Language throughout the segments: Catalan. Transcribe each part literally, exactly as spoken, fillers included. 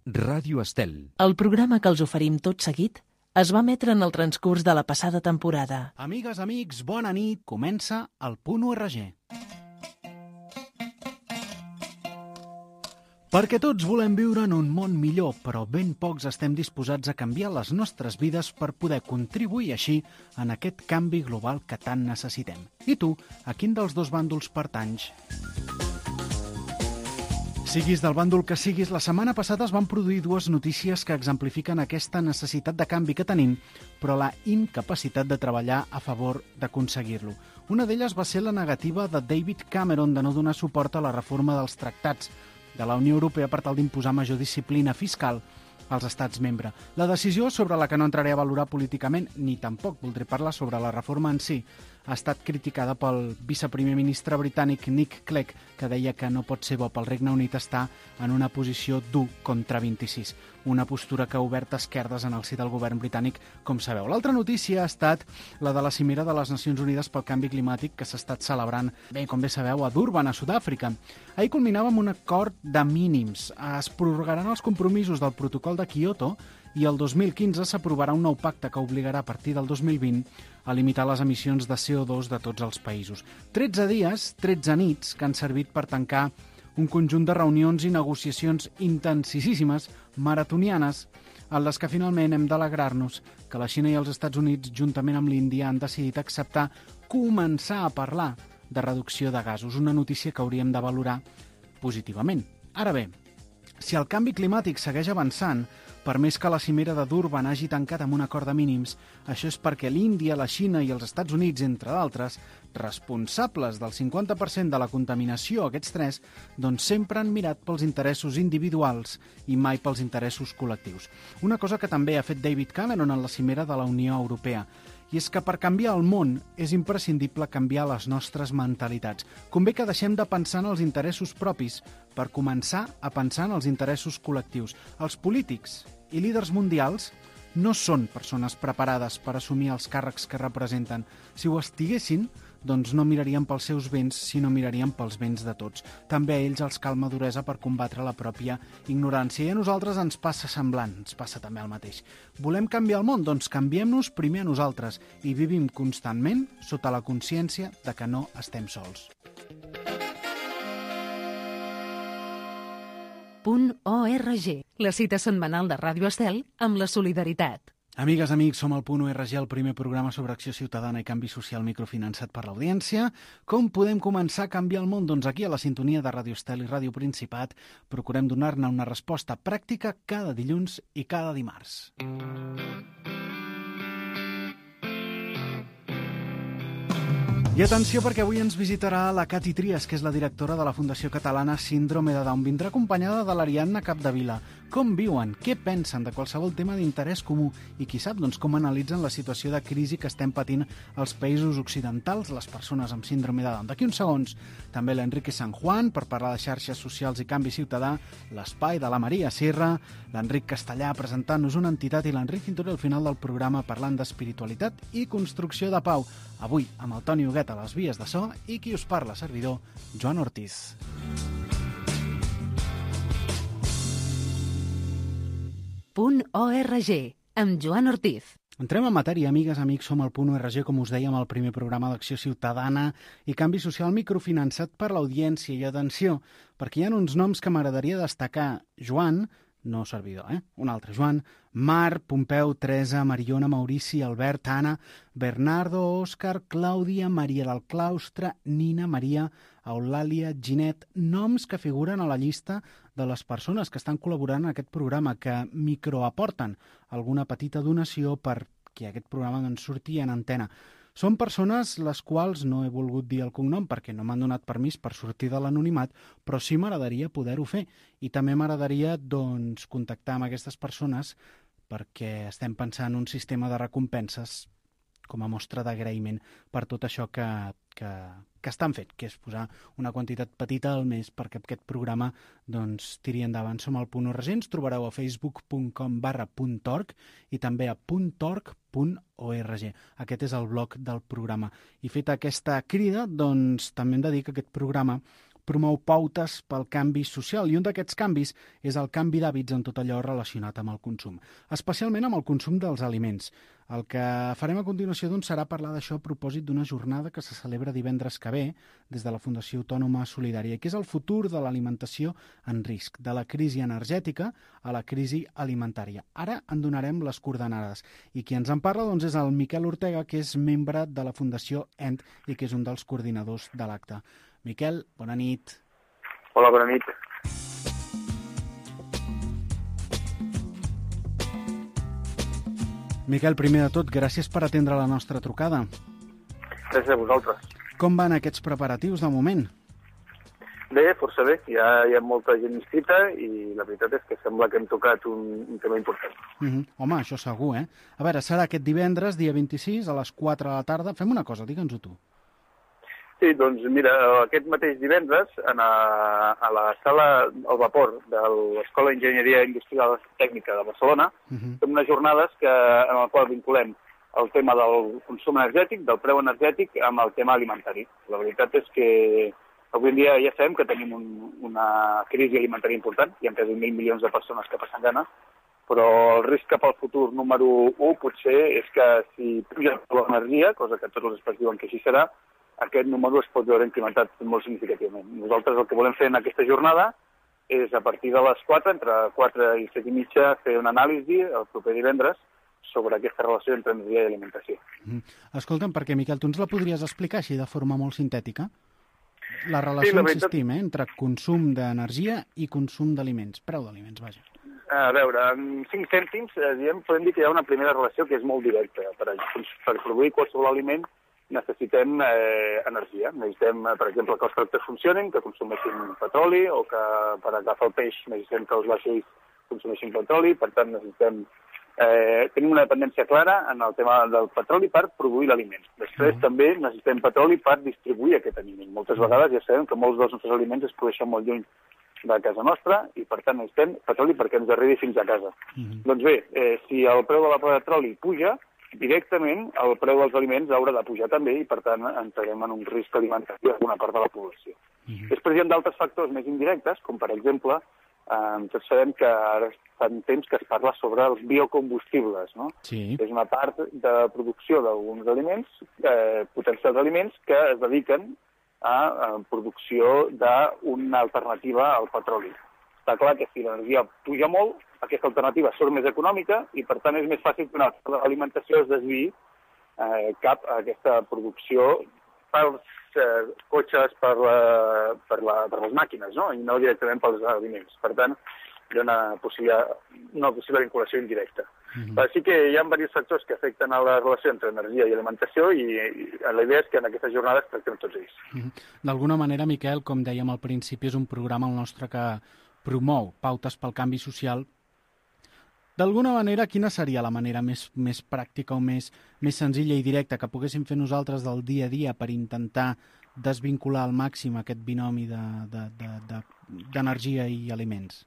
Ràdio Estel. El programa que els oferim tot seguit es va emetre en el transcurs de la passada temporada. Amigues, amics, bona nit. Comença el Punt U R G. Perquè tots volem viure en un món millor, però ben pocs estem disposats a canviar les nostres vides per poder contribuir així en aquest canvi global que tant necessitem. I tu, a quin dels dos bàndols pertanys? Siguis del bàndol que siguis, la setmana passada es van produir dues notícies que exemplifiquen aquesta necessitat de canvi que tenim, però la incapacitat de treballar a favor d'aconseguir-lo. Una d'elles va ser la negativa de David Cameron de no donar suport a la reforma dels tractats de la Unió Europea per tal d'imposar major disciplina fiscal als estats membres. La decisió, sobre la que no entraré a valorar políticament, ni tampoc voldré parlar sobre la reforma en si, ha estat criticada pel viceprimer ministre britànic Nick Clegg, que deia que no pot ser bo pel Regne Unit estar en una posició d'u contra vint-i-sis, una postura que ha obert esquerdes en el si del govern britànic, com sabeu. L'altra notícia ha estat la de la cimera de les Nacions Unides pel Canvi Climàtic que s'ha estat celebrant, bé, com bé sabeu, a Durban, a Sud-àfrica. Ahir culminava amb un acord de mínims. Es prorrogaran els compromisos del protocol de Kyoto i el dos mil quinze s'aprovarà un nou pacte que obligarà a partir del dos mil vint a limitar les emissions de C O dos de tots els països. tretze dies, tretze nits, que han servit per tancar un conjunt de reunions i negociacions intensíssimes, maratonianes, en les que finalment hem d'alegrar-nos que la Xina i els Estats Units, juntament amb l'Índia, han decidit acceptar començar a parlar de reducció de gasos, una notícia que hauríem de valorar positivament. Ara bé, si el canvi climàtic segueix avançant, per més que la cimera de Durban hagi tancat amb un acord de mínims, això és perquè l'Índia, la Xina i els Estats Units, entre d'altres, responsables del cinquanta per cent de la contaminació, aquests tres, doncs sempre han mirat pels interessos individuals i mai pels interessos col·lectius. Una cosa que també ha fet David Cameron en la cimera de la Unió Europea, i és que per canviar el món és imprescindible canviar les nostres mentalitats. Convé que deixem de pensar en els interessos propis per començar a pensar en els interessos col·lectius. Els polítics i líders mundials no són persones preparades per assumir els càrrecs que representen. Si ho estiguessin, doncs no mirarien pels seus béns, sinó mirarien pels béns de tots. També a ells els cal maduresa per combatre la pròpia ignorància. I a nosaltres ens passa semblant, ens passa també el mateix. Volem canviar el món? Doncs canviem-nos primer a nosaltres i vivim constantment sota la consciència de que no estem sols. Punt O R G, la cita setmanal de Ràdio Estel amb la solidaritat. Amigues, amics, som el Punt U R G, el primer programa sobre acció ciutadana i canvi social microfinançat per l'audiència. Com podem començar a canviar el món? Doncs aquí, a la sintonia de Ràdio Estel i Ràdio Principat, procurem donar-ne una resposta pràctica cada dilluns i cada dimarts. I atenció, perquè avui ens visitarà la Cati Trias, que és la directora de la Fundació Catalana Síndrome de Down. Vindrà acompanyada de l'Ariadna Capdevila. Com viuen, què pensen de qualsevol tema d'interès comú i qui sap doncs, com analitzen la situació de crisi que estem patint als països occidentals, les persones amb síndrome de Down. D'aquí uns segons, també l'Enrique San Juan per parlar de xarxes socials i canvi ciutadà, l'espai de la Maria Sierra, l'Enric Castellà presentant-nos una entitat i l'Enric Cinturé al final del programa parlant d'espiritualitat i construcció de pau. Avui amb el Toni Huguet a les vies de so i qui us parla, servidor, Joan Ortiz. Punt O R G, amb Joan Ortiz. Entrem en matèria, amigues, amics, som al Punt U R G, com us dèiem, el primer programa d'acció ciutadana i canvi social microfinançat per l'audiència. I atenció, perquè hi ha uns noms que m'agradaria destacar. Joan, no servidor, eh? Un altre Joan, Mar, Pompeu, Teresa, Mariona, Maurici, Albert, Anna, Bernardo, Òscar, Clàudia, Maria del Claustre, Nina, Maria, Eulàlia, Ginet, noms que figuren a la llista de les persones que estan col·laborant en aquest programa, que microaporten alguna petita donació perquè aquest programa doncs, surti en antena. Són persones les quals no he volgut dir el cognom perquè no m'han donat permís per sortir de l'anonimat, però sí m'agradaria poder-ho fer. I també m'agradaria doncs, contactar amb aquestes persones perquè estem pensant en un sistema de recompenses com a mostra d'agraïment per tot això que, que, que estan fent, que és posar una quantitat petita al mes perquè aquest programa doncs, tiri endavant. Som al Punt U R G, ens trobareu a facebook punt com barra puntorg i també a puntorg punt org. Aquest és el blog del programa. I feta aquesta crida, doncs també hem de dir que aquest programa promou pautes pel canvi social, i un d'aquests canvis és el canvi d'hàbits en tot allò relacionat amb el consum, especialment amb el consum dels aliments. El que farem a continuació doncs, serà parlar d'això a propòsit d'una jornada que se celebra divendres que ve des de la Fundació Autònoma Solidària, que és el futur de l'alimentació en risc, de la crisi energètica a la crisi alimentària. Ara en donarem les coordenades. I qui ens en parla doncs, és el Miquel Ortega, que és membre de la Fundació E N T i que és un dels coordinadors de l'acte. Miquel, bona nit. Hola, bona nit. Miquel, primer de tot, gràcies per atendre la nostra trucada. Gràcies a vosaltres. Com van aquests preparatius de moment? Bé, força bé. Ja hi ha molta gent inscrita i la veritat és que sembla que hem tocat un, un tema important. Uh-huh. Home, això segur, eh? A veure, serà aquest divendres, dia vint-i-sis, a les quatre de la tarda. Fem una cosa, digue'ns-ho tu. Sí, doncs mira, aquest mateix divendres, en a, a la sala al vapor de l'Escola d'Enginyeria Industrial Tècnica de Barcelona, uh-huh. fem unes jornades que, en el qual vinculem el tema del consum energètic, del preu energètic, amb el tema alimentari. La veritat és que avui en dia ja sabem que tenim un, una crisi alimentària important, hi ha quasi mil milions de persones que passen gana, però el risc cap al futur número u potser és que si puja l'energia, cosa que tots els experts diuen que així serà, aquest número es pot veure incrementat molt significativament. Nosaltres el que volem fer en aquesta jornada és a partir de les quatre, entre quatre i set i mitja, fer una anàlisi el proper divendres sobre aquesta relació entre energia i alimentació. Mm. Escolta'm, perquè, Miquel, tu ens la podries explicar així de forma molt sintètica? La relació, sí, la veritat... insistim, eh, entre consum d'energia i consum d'aliments, preu d'aliments, vaja. A veure, en cinc cèntims, eh, diem, podem dir que hi ha una primera relació que és molt directa. Per, per produir qualsevol aliment necessitem eh, energia. Necessitem, per exemple, que els tractors funcionin, que consumeixin petroli, o que per agafar el peix necessitem que els vaixells consumeixin petroli. Per tant, necessitem eh, tenim una dependència clara en el tema del petroli per produir l'aliment. Després, mm. també necessitem petroli per distribuir aquest aliment. Moltes vegades ja sabem que molts dels nostres aliments es produeixen molt lluny de casa nostra i, per tant, necessitem petroli perquè ens arribi fins a casa. Mm. Doncs bé, eh, si el preu de la petroli puja, directament el preu dels aliments haurà de pujar també i, per tant, entrarem en un risc alimentari a alguna part de la població. Mm-hmm. Després hi ha d'altres factors més indirectes, com per exemple, eh, tots sabem que ara fa temps que es parla sobre els biocombustibles, no? Sí. És una part de producció d'alguns aliments, eh, potencials aliments, que es dediquen a, a producció d'una alternativa al petroli. Està clar que si l'energia puja molt, aquesta alternativa surt més econòmica i, per tant, és més fàcil que una alimentació es desviï eh, cap a aquesta producció pels eh, cotxes, per, la, per, la, per les màquines, no? I no directament pels aliments. Per tant, hi ha una possible, una possible vinculació indirecta. Mm-hmm. Però sí que hi ha diversos factors que afecten a la relació entre energia i alimentació i, i la idea és que en aquestes jornades tractem tots ells. Mm-hmm. D'alguna manera, Miquel, com dèiem al principi, és un programa el nostre que promou pautes pel canvi social. D'alguna manera, quina seria la manera més, més pràctica o més, més senzilla i directa que poguéssim fer nosaltres del dia a dia per intentar desvincular al màxim aquest binomi d'energia de, de, de, i aliments?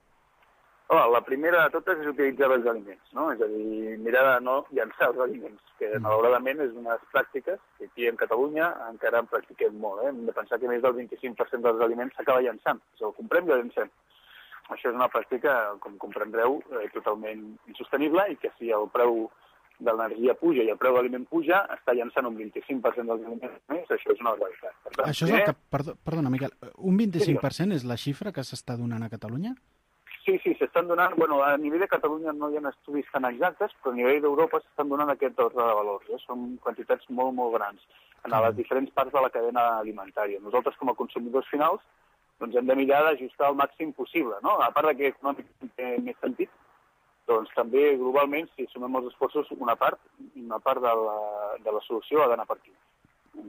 Oh, la primera de totes és utilitzar els aliments, no? És a dir, mirar de no llançar els aliments, que malauradament és unes pràctiques que aquí en Catalunya encara en practiquem molt. Eh? Hem de pensar que més del vint-i-cinc per cent dels aliments s'acaba llançant. Si el comprem i el llancem. Això és una pràctica, com comprendreu, eh, totalment insostenible i que si el preu de l'energia puja i el preu de l'aliment puja, està llançant un vint-i-cinc per cent dels aliments més, això és una barbaritat. Per tant, això és el que, perdó, perdona, Miquel, un vint-i-cinc per cent és la xifra que s'està donant a Catalunya? Sí, sí, s'estan donant, bueno, a nivell de Catalunya no hi ha estudis tan exactes, però a nivell d'Europa s'estan donant aquest ordre de valors, eh? Són quantitats molt, molt grans en les diferents parts de la cadena alimentària. Nosaltres, com a consumidors finals, doncs hem de mirar d'ajustar el màxim possible, no? A part que econòmicament té més sentit, doncs també globalment, si sumem els esforços, una part, una part de la, de la solució ha d'anar per aquí.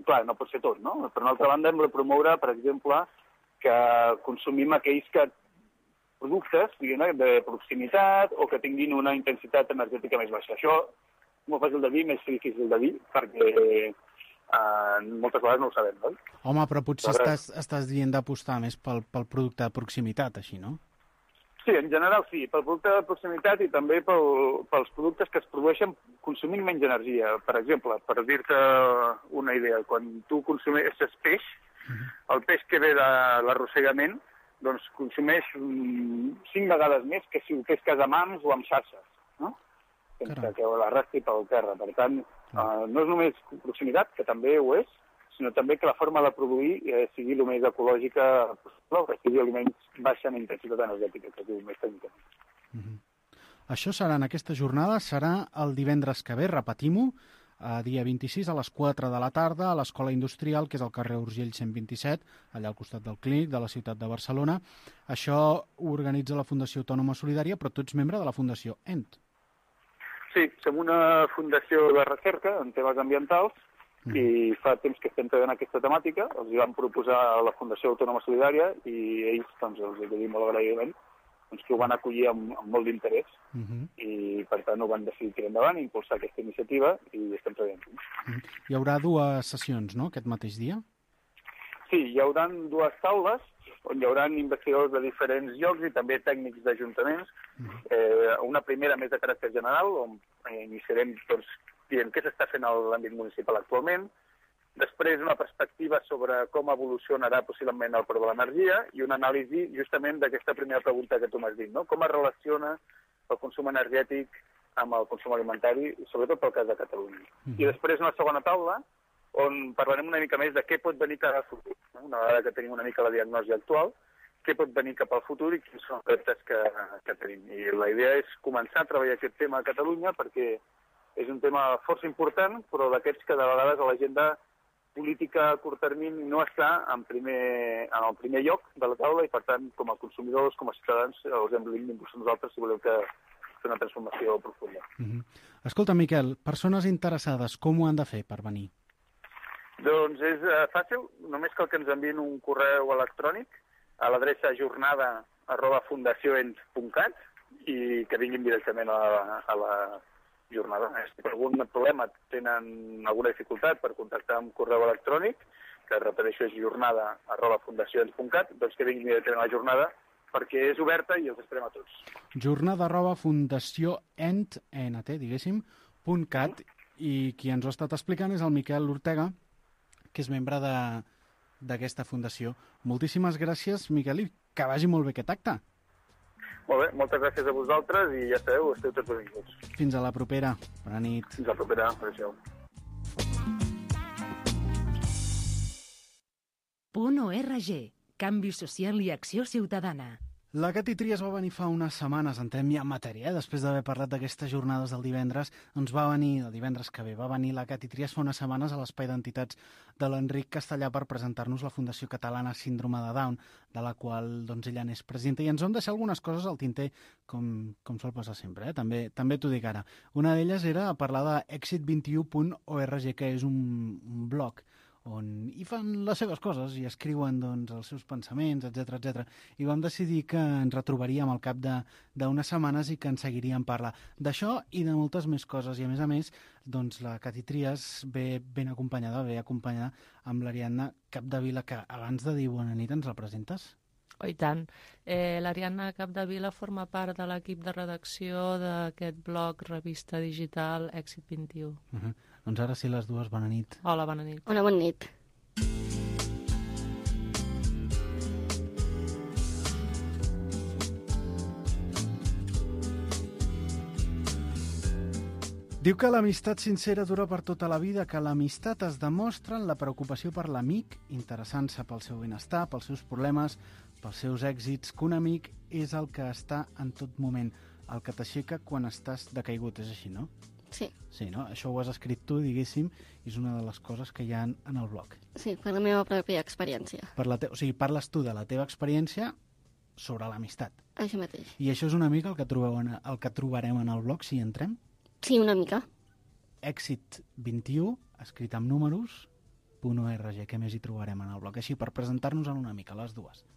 Clar, no pot ser tot, no? Per una altra banda, hem de promoure, per exemple, que consumim aquells que productes, diguem, de proximitat o que tinguin una intensitat energètica més baixa. Això és molt fàcil de dir, més difícil de dir, perquè Uh, moltes vegades no ho sabem, no? Home, però potser però... estàs, estàs dient d'apostar més pel, pel producte de proximitat, així, no? Sí, en general sí, pel producte de proximitat i també pel, pels productes que es produeixen consumint menys energia. Per exemple, per dir-te una idea, quan tu consumeixes peix, Uh-huh. El peix que ve de l'arrossegament doncs, consumeix um, cinc vegades més que si ho pesques a mans o amb xarxes, no? Sense Caram. que l'arrastri pel terra. Per tant, uh, no és només proximitat, que també ho és, sinó també que la forma de produir eh, sigui el més ecològica possible, que sigui aliments baixa en intensitat energètica, que es diu més tècnicament. Uh-huh. Això serà en aquesta jornada, serà el divendres que ve, repetim-ho, a dia vint-i-sis a les quatre de la tarda a l'Escola Industrial, que és al carrer Urgell cent vint-i-set, allà al costat del Clínic de la ciutat de Barcelona. Això ho organitza la Fundació Autònoma Solidària, però tu ets membre de la Fundació E N T. Sí, som una fundació de recerca en temes ambientals mm. i fa temps que estem treballant aquesta temàtica. Els hi vam proposar a la Fundació Autònoma Solidària i ells, doncs, els hi dir molt agraïment, doncs, que ho van acollir amb, amb molt d'interès uh -huh. i, per tant, ho van decidir tirar endavant, impulsar aquesta iniciativa i estem treballant. Uh -huh. Hi haurà dues sessions, no?, aquest mateix dia? Sí, hi haurà dues taules on hi haurà investigadors de diferents llocs i també tècnics d'ajuntaments. Uh -huh. eh, una primera més de caràcter general, on iniciarem doncs, dient què s'està fent a l'àmbit municipal actualment. Després, una perspectiva sobre com evolucionarà possiblement el preu de l'energia i una anàlisi justament d'aquesta primera pregunta que tu m'has dit, no? Com es relaciona el consum energètic amb el consum alimentari, sobretot pel cas de Catalunya. Mm. I després una segona taula on parlarem una mica més de què pot venir cap al futur, no? Una vegada que tenim una mica la diagnosi actual, què pot venir cap al futur i quins són els reptes que, que tenim. I la idea és començar a treballar aquest tema a Catalunya perquè és un tema força important, però d'aquests que de vegades a l'agenda política a curt termini no està en, primer, en el primer lloc de la taula i, per tant, com a consumidors, com a ciutadans, els hem d'impulsar nosaltres si voleu que fer una transformació profunda. Mm-hmm. Escolta, Miquel, persones interessades, com ho han de fer per venir? Doncs és uh, fàcil, només cal que ens enviïn un correu electrònic a l'adreça jornada arroba fundacionent punt cat i que vinguin directament a la, a la jornada. Si per algun problema tenen alguna dificultat per contactar amb correu electrònic, que repeteixo és jornada arroba fundacions punt cat, doncs que vinguin directament a la jornada perquè és oberta i els esperem a tots. Jornada arroba fundacionent, diguéssim, punt cat, mm. i qui ens ho ha estat explicant és el Miquel Ortega, que és membre d'aquesta fundació. Moltíssimes gràcies, Miquel, i que vagi molt bé aquest acte. Molt bé, moltes gràcies a vosaltres i ja sabeu, esteu tots benvinguts. Fins a la propera. Bona nit. Fins a la propera. Adéu. Punt org. Canvi social i acció ciutadana. La Cati Trias va venir fa unes setmanes, entrem ja en matèria, eh? Després d'haver parlat d'aquestes jornades del divendres, doncs va venir, el divendres que ve, va venir la Cati Trias fa unes setmanes a l'Espai d'Entitats de l'Enric Castellà per presentar-nos la Fundació Catalana Síndrome de Down, de la qual doncs, ella n'és presidenta, i ens vam deixar algunes coses al tinter, com, com sol passar sempre, eh? també, també t'ho dic ara. Una d'elles era parlar de exit vint u punt org, que és un, un blog on hi fan les seves coses i escriuen doncs, els seus pensaments, etcètera etcètera. I vam decidir que ens retrobaríem al cap d'unes setmanes i que ens seguiríem parlar d'això i de moltes més coses. I a més a més, doncs, la Cati Trias ve ben acompanyada, ve acompanyada amb l'Ariadna Capdevila, que abans de dir bona nit ens la presentes? Oh, i tant. Eh, L'Ariadna Capdevila forma part de l'equip de redacció d'aquest blog, revista digital Èxit vint u. Uh-huh. Doncs ara sí, les dues, bona nit. Hola, bona nit. Hola, bona nit. Diu que l'amistat sincera dura per tota la vida, que l'amistat es demostra en la preocupació per l'amic, interessant-se pel seu benestar, pels seus problemes, pels seus èxits, que un amic és el que està en tot moment, el que t'aixeca quan estàs decaigut, és així, no? Sí. Sí, no? Això ho has escrit tu, diguéssim, i és una de les coses que hi ha en el blog. Sí, per la meva pròpia experiència. Per la te... O sigui, parles tu de la teva experiència sobre l'amistat. Això mateix. I això és una mica el que, trobeu en... el que trobarem en el blog, si entrem? Sí, una mica. Èxit vint u, escrit amb números, punt org, què més hi trobarem en el blog? Així, per presentar-nos en una mica, les dues.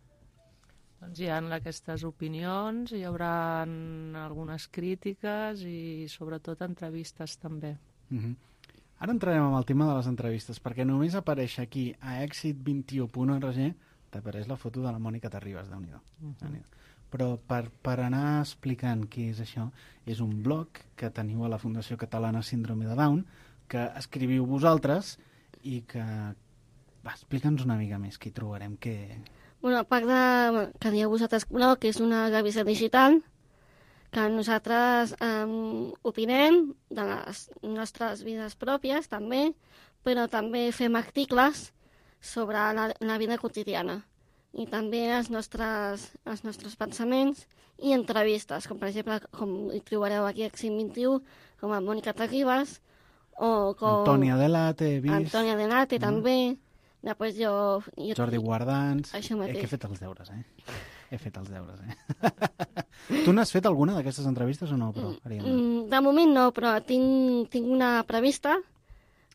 Doncs hi ha aquestes opinions, hi haurà algunes crítiques i sobretot entrevistes també. Uh-huh. Ara entrarem amb el tema de les entrevistes, perquè només apareix aquí a èxit vint u punt org t'apareix la foto de la Mònica Terribas, Déu-n'hi-do. Uh-huh. Però per, per anar explicant què és això, és un blog que teniu a la Fundació Catalana Síndrome de Down, que escriviu vosaltres i que Va, explica'ns una mica més, què hi trobarem, què... Bueno, a part de que dieu vosaltres blog, que és una revista digital, que nosaltres eh, opinem de les nostres vides pròpies, també, però també fem articles sobre la, la vida quotidiana i també els nostres, els nostres pensaments i entrevistes, com per exemple, com hi trobareu aquí a Èxit vint-i-u, com a Mònica Terribas, o com... Antònia Delate, he vist... Antònia Delate, mm. també. Després jo... jo Jordi Guardans... Això mateix. Eh, que he fet els deures, eh? He fet els deures, eh? Tu n'has fet alguna d'aquestes entrevistes o no, però, Ariadna? Mm, de moment no, però tinc, tinc una prevista.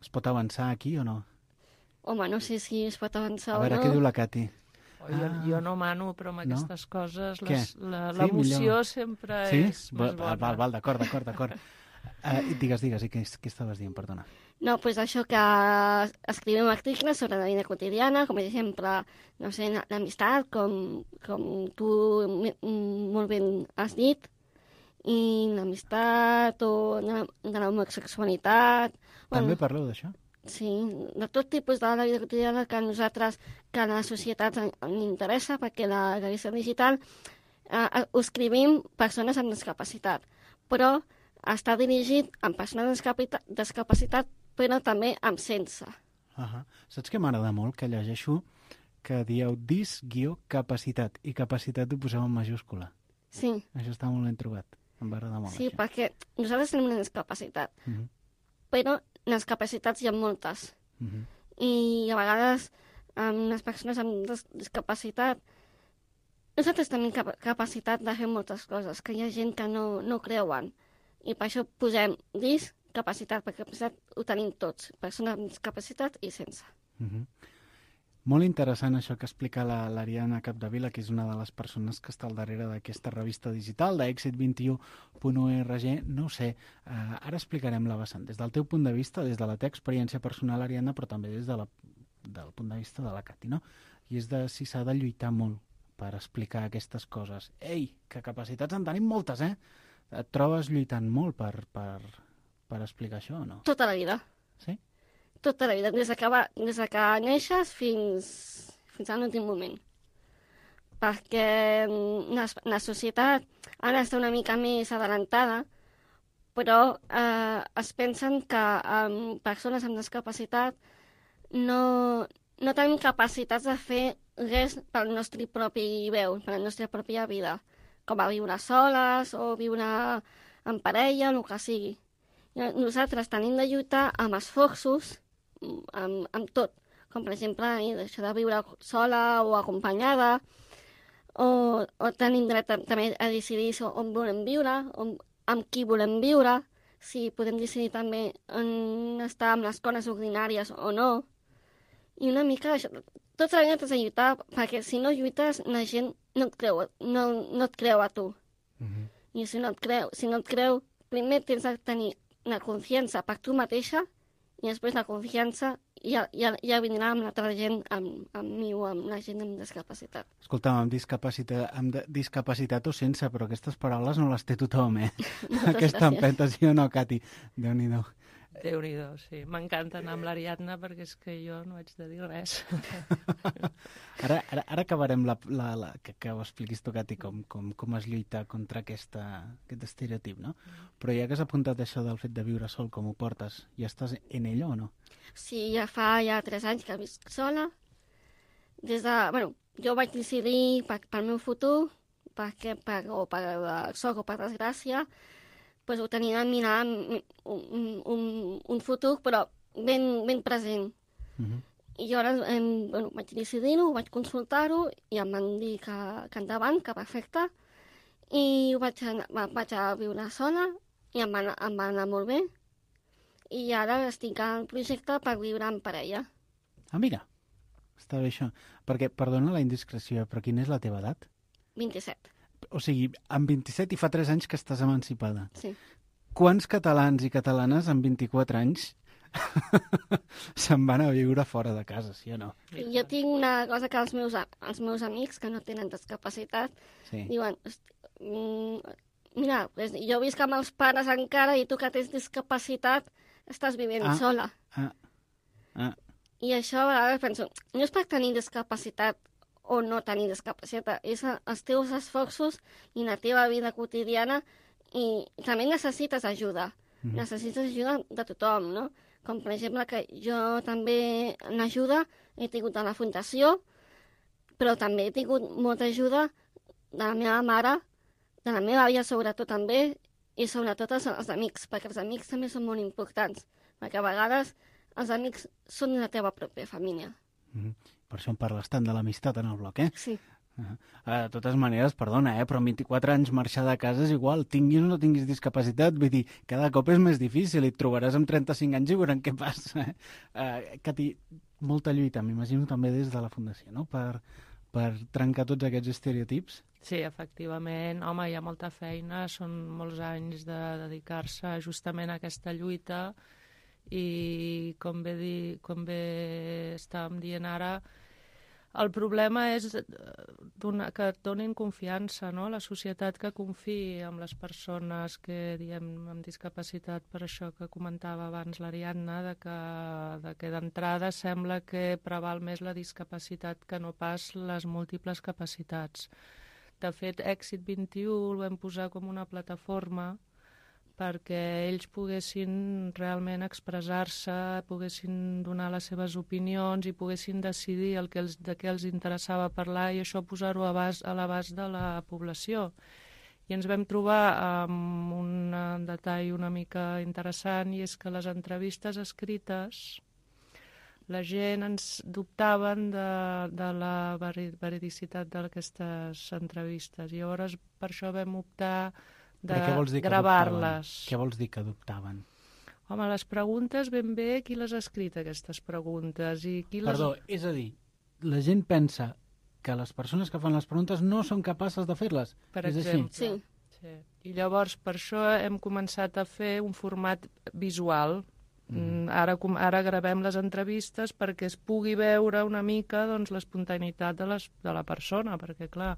Es pot avançar aquí o no? Home, no sé si es pot avançar A veure, o no. què diu la Cati? Oh, jo, Ah. jo no mano, però amb No? aquestes coses Què? les- la- Sí, l'emoció millor. sempre Sí? és més Val, bona. val, val, d'acord, d'acord, d'acord. Uh, digues, digues, i què, què estaves dient, perdona? No, pues això que escrivim articles sobre la vida quotidiana, com per exemple, no sé, l'amistat, com, com tu m- m- molt ben has dit, i l'amistat o de, de l'homosexualitat. També parleu d'això? Sí, de tot tipus de la vida quotidiana que a nosaltres, que a la societat en, en interessa, perquè la revista digital eh, ho escrivim persones amb discapacitat, però està dirigit a persones amb discapita- discapacitat, però també amb sense. Uh -huh. Saps què m'agrada molt? Que llegeixo que dieu dis-capacitat i capacitat ho poseu en majúscula. Sí, Això està molt ben trobat. Em va agradar molt, sí, això. perquè nosaltres tenim una discapacitat, Uh -huh. però les capacitats hi ha moltes. Uh -huh. I a vegades amb les persones amb dis discapacitat nosaltres tenim cap capacitat de fer moltes coses, que hi ha gent que no, no creuen. I per això posem discapacitat, perquè capacitat ho tenim tots, persones amb discapacitat i sense. Uh -huh. Molt interessant això que explica la- l'Ariadna Capdevila, que és una de les persones que està al darrere d'aquesta revista digital d'èxit vint i u punt org. No ho sé, uh, ara explicarem la vessant. Des del teu punt de vista, des de la teva experiència personal, Ariadna, però també des de la, del punt de vista de la Cati, no? I és de si s'ha de lluitar molt per explicar aquestes coses. Ei, que capacitats en tenim moltes, eh? Et trobes lluitant molt per, per, per explicar això o no? Tota la vida. Sí? Tota la vida, des de que, va, des de que neixes fins, fins a l'últim moment. Perquè mm, la, la societat ara està una mica més adelantada, però eh, es pensen que eh, persones amb discapacitat no, no tenim capacitats de fer res pel nostre propi veu, per la nostra pròpia vida, com a viure soles o viure en parella, el que sigui. I nosaltres tenim de lluitar amb esforços, amb, amb tot, com per exemple eh, això de viure sola o acompanyada, o, o tenim dret a, també a decidir so- on volem viure, on, amb qui volem viure, si podem decidir també on estar amb les coses ordinàries o no. I una mica això, tota la vida t'has de lluitar, perquè si no lluites la gent no et creu, no, no et creu a tu. Uh -huh. I si no et creu, si no et creu, primer tens de tenir la confiança per tu mateixa i després la confiança ja, ja, ja vindrà amb l'altra gent, amb, amb mi o amb la gent amb discapacitat. Escolta'm, amb discapacitat, amb de- discapacitat o sense, però aquestes paraules no les té tothom, eh? Aquesta gràcies. empenta, sí o no, Cati? Déu-n'hi-do. Déu-n'hi-do, sí. M'encanta anar amb l'Ariadna perquè és que jo no haig de dir res. Ara, ara, ara acabarem la, la, la, que, que ho expliquis tu, Cati, com, com, com es lluita contra aquesta, aquest estereotip, no? Però ja que has apuntat això del fet de viure sol, com ho portes, ja estàs en ello o no? Sí, ja fa ja tres anys que visc sola. Des de, bueno, jo vaig decidir per, pel meu futur, perquè per, o per sort o per desgràcia, pues ho tenia de mirar un, un, un, un futur, però ben, ben present. Uh -huh. I jo ara em, bueno, vaig decidir-ho, vaig consultar-ho i em van dir que, que endavant, que perfecte. I ho vaig, anar, va- vaig a viure sola i em va, anar- em va anar molt bé. I ara estic al projecte per viure en parella. Ah, mira, està bé això. Perquè, perdona la indiscreció, però quina és la teva edat? vint-i-set, O sigui, amb vint-i-set i fa tres anys que estàs emancipada. sí. Quants catalans i catalanes amb vint-i-quatre anys se'n van a viure fora de casa, sí o no? I jo tinc una cosa que els meus, a- els meus amics que no tenen discapacitat Sí. diuen, "Hosti, mm, mira, pues, jo visc amb els pares encara i tu que tens discapacitat estàs vivint Ah. sola." Ah, ah. I això a vegades penso, no és per tenir discapacitat o no tenir discapacitat, és els teus esforços i la teva vida quotidiana i també necessites ajuda. Mm. Necessites ajuda de tothom, no? Com per exemple que jo també l'ajuda he tingut a la fundació, però també he tingut molta ajuda de la meva mare, de la meva àvia sobretot també, i sobretot els, els amics, perquè els amics també són molt importants, perquè a vegades els amics són la teva pròpia família. Mm-hmm. Per això en parles tant de l'amistat en el bloc, eh? Sí. Uh-huh. Uh, de totes maneres, perdona, eh, però amb vint-i-quatre anys marxar de casa és igual, tinguis o no tinguis discapacitat, vull dir, cada cop és més difícil i et trobaràs amb trenta-cinc anys i veurem què passa. Eh? Uh, Cati, molta lluita, m'imagino també des de la Fundació, no?, per, per trencar tots aquests estereotips. Sí, efectivament. Home, hi ha molta feina, són molts anys de dedicar-se justament a aquesta lluita i, com bé, di, com bé estàvem dient ara, el problema és donar, que et donin confiança, no? La societat que confiï en les persones que, diem, amb discapacitat, per això que comentava abans l'Ariadna, de que, de que d'entrada sembla que preval més la discapacitat que no pas les múltiples capacitats. De fet, Èxit vint-i-u el vam posar com una plataforma perquè ells poguessin realment expressar-se, poguessin donar les seves opinions i poguessin decidir el que els, de què els interessava parlar i això posar-ho a, a l'abast de la població. I ens vam trobar amb un detall una mica interessant i és que les entrevistes escrites la gent ens dubtaven de, de la veridicitat d'aquestes entrevistes i llavors per això vam optar de gravar-les. Què vols dir que dubtaven? Home, les preguntes ben bé qui les ha escrit, aquestes preguntes. I qui les... Perdó, és a dir, la gent pensa que les persones que fan les preguntes no són capaces de fer-les. Per és exemple. Així? Sí. Sí. I llavors per això hem començat a fer un format visual. Mm. Ara, ara gravem les entrevistes perquè es pugui veure una mica doncs, l'espontaneïtat de, les, de la persona, perquè clar,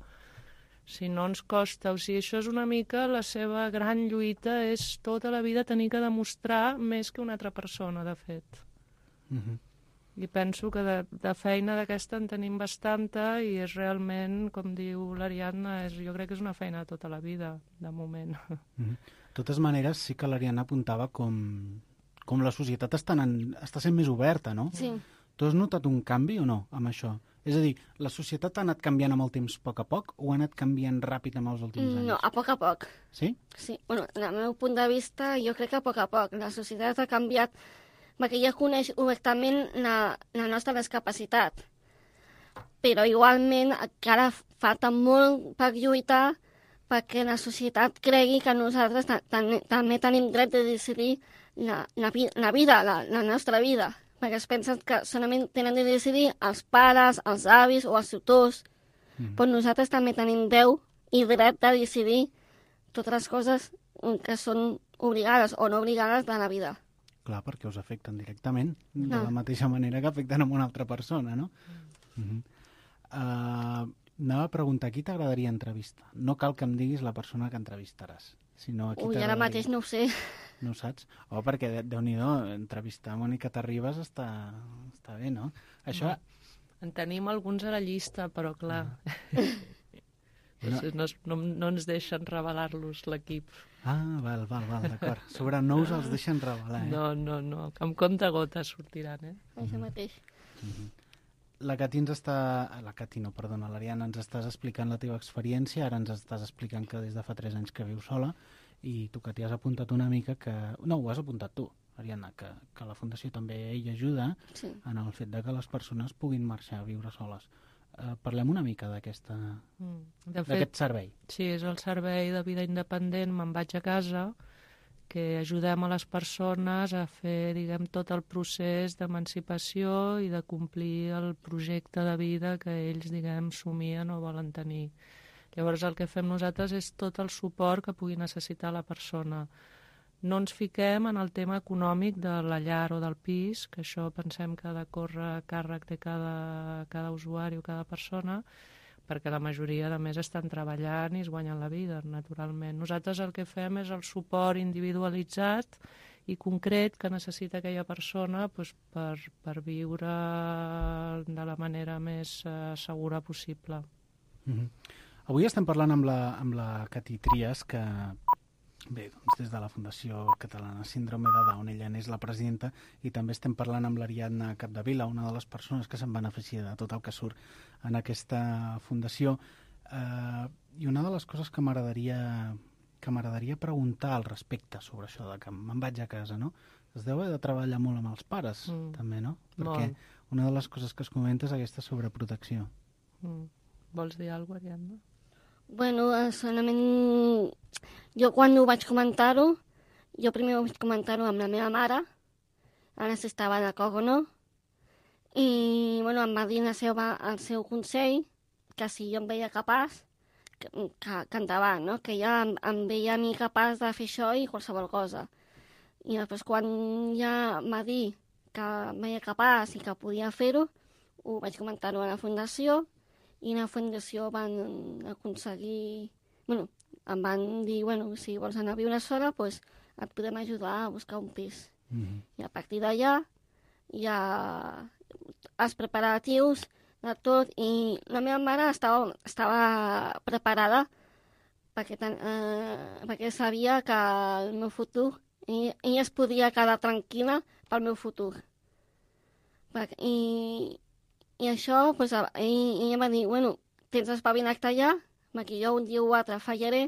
si no ens costa, o sigui, això és una mica la seva gran lluita, és tota la vida tenir que demostrar més que una altra persona, de fet. Mm-hmm. I penso que de, de feina d'aquesta en tenim bastanta i és realment, com diu l'Ariadna, és, jo crec que és una feina de tota la vida, de moment. Mm-hmm. De totes maneres, sí que l'Ariadna apuntava com, com la societat està, en, està sent més oberta, no? Sí. Tu has notat un canvi o no amb això? És a dir, la societat ha anat canviant amb el temps a poc a poc o ha anat canviant ràpid amb els últims anys? No, a poc a poc. Sí? Sí, bueno, del meu punt de vista, jo crec que a poc a poc. La societat ha canviat perquè ja coneix obertament la, la nostra discapacitat. Però igualment encara falta molt per lluitar perquè la societat cregui que nosaltres també tenim dret de decidir la, la, la vida, la, la nostra vida. Perquè es pensen que solament tenen de decidir els pares, els avis o els tutors. Mm. Però nosaltres també tenim veu i dret de decidir totes les coses que són obligades o no obligades de la vida. Clar, perquè us afecten directament, no. De la mateixa manera que afecten a una altra persona, no? Mm. Mm-hmm. Uh, anava a preguntar, qui t'agradaria entrevistar? No cal que em diguis la persona que entrevistaràs, sinó a qui Ui, ara mateix no ho sé. No ho saps? Oh, perquè, Déu-n'hi-do, entrevistar Mònica Terribas està, està bé, no? Això... En tenim alguns a la llista, però clar... No, no, no, no ens deixen revelar-los l'equip. Ah, val, val, val, d'acord. Sobre nous els deixen revelar, eh? No, no, no, amb compte gotes sortiran, eh? Això mateix. Uh-huh. La Cati ens està... La Cati no, perdona, l'Ariadna, ens estàs explicant la teva experiència, ara ens estàs explicant que des de fa tres anys que vius sola, i tu que t'hi has apuntat una mica que... No, ho has apuntat tu, Ariadna, que, que la Fundació també hi ajuda sí. en el fet de que les persones puguin marxar a viure soles. Uh, parlem una mica d'aquesta mm. d'aquest servei. Sí, és el servei de vida independent Me'n vaig a casa, que ajudem a les persones a fer, diguem, tot el procés d'emancipació i de complir el projecte de vida que ells, diguem, somien o volen tenir. Llavors el que fem nosaltres és tot el suport que pugui necessitar la persona. No ens fiquem en el tema econòmic de la llar o del pis, que això pensem que ha de córrer a càrrec de cada, cada usuari o cada persona, perquè la majoria, a més, estan treballant i es guanyen la vida, naturalment. Nosaltres el que fem és el suport individualitzat i concret que necessita aquella persona doncs, per, per viure de la manera més eh, segura possible. Mm-hmm. Avui estem parlant amb la, amb la Cati Trias, que bé, doncs des de la Fundació Catalana Síndrome de Down, ella n'és la presidenta, i també estem parlant amb l'Ariadna Capdevila, una de les persones que se'n beneficia de tot el que surt en aquesta fundació. Eh, I una de les coses que m'agradaria que m'agradaria preguntar al respecte sobre això de que me'n vaig a casa, no? Es deu haver de treballar molt amb els pares, mm. també, no? Perquè molt. Una de les coses que es comenta és aquesta sobreprotecció. Mm. Vols dir alguna cosa, Ariadna? Bueno, solament jo quan ho vaig comentar-ho, jo primer vaig comentar-ho amb la meva mare, ara si estava d'acord o no, i bueno, em va dir el seu, el seu consell que si jo em veia capaç, que, que, que endavant, no? Que ja em, em veia a mi capaç de fer això i qualsevol cosa. I després quan ja em va dir que em veia capaç i que podia fer-ho, ho vaig comentar-ho a la fundació, i a la fundació van aconseguir... Bueno, em van dir, bueno, si vols anar a viure sola, doncs et podem ajudar a buscar un pis. Mm-hmm. I a partir d'allà ja els preparatius de tot, i la meva mare estava, estava preparada perquè, ten, eh, perquè sabia que el meu futur, i ella es podia quedar tranquil·la pel meu futur. I, i això, pues, i, ella va dir, bueno, tens espavilat allà, perquè jo un dia o altre fallaré,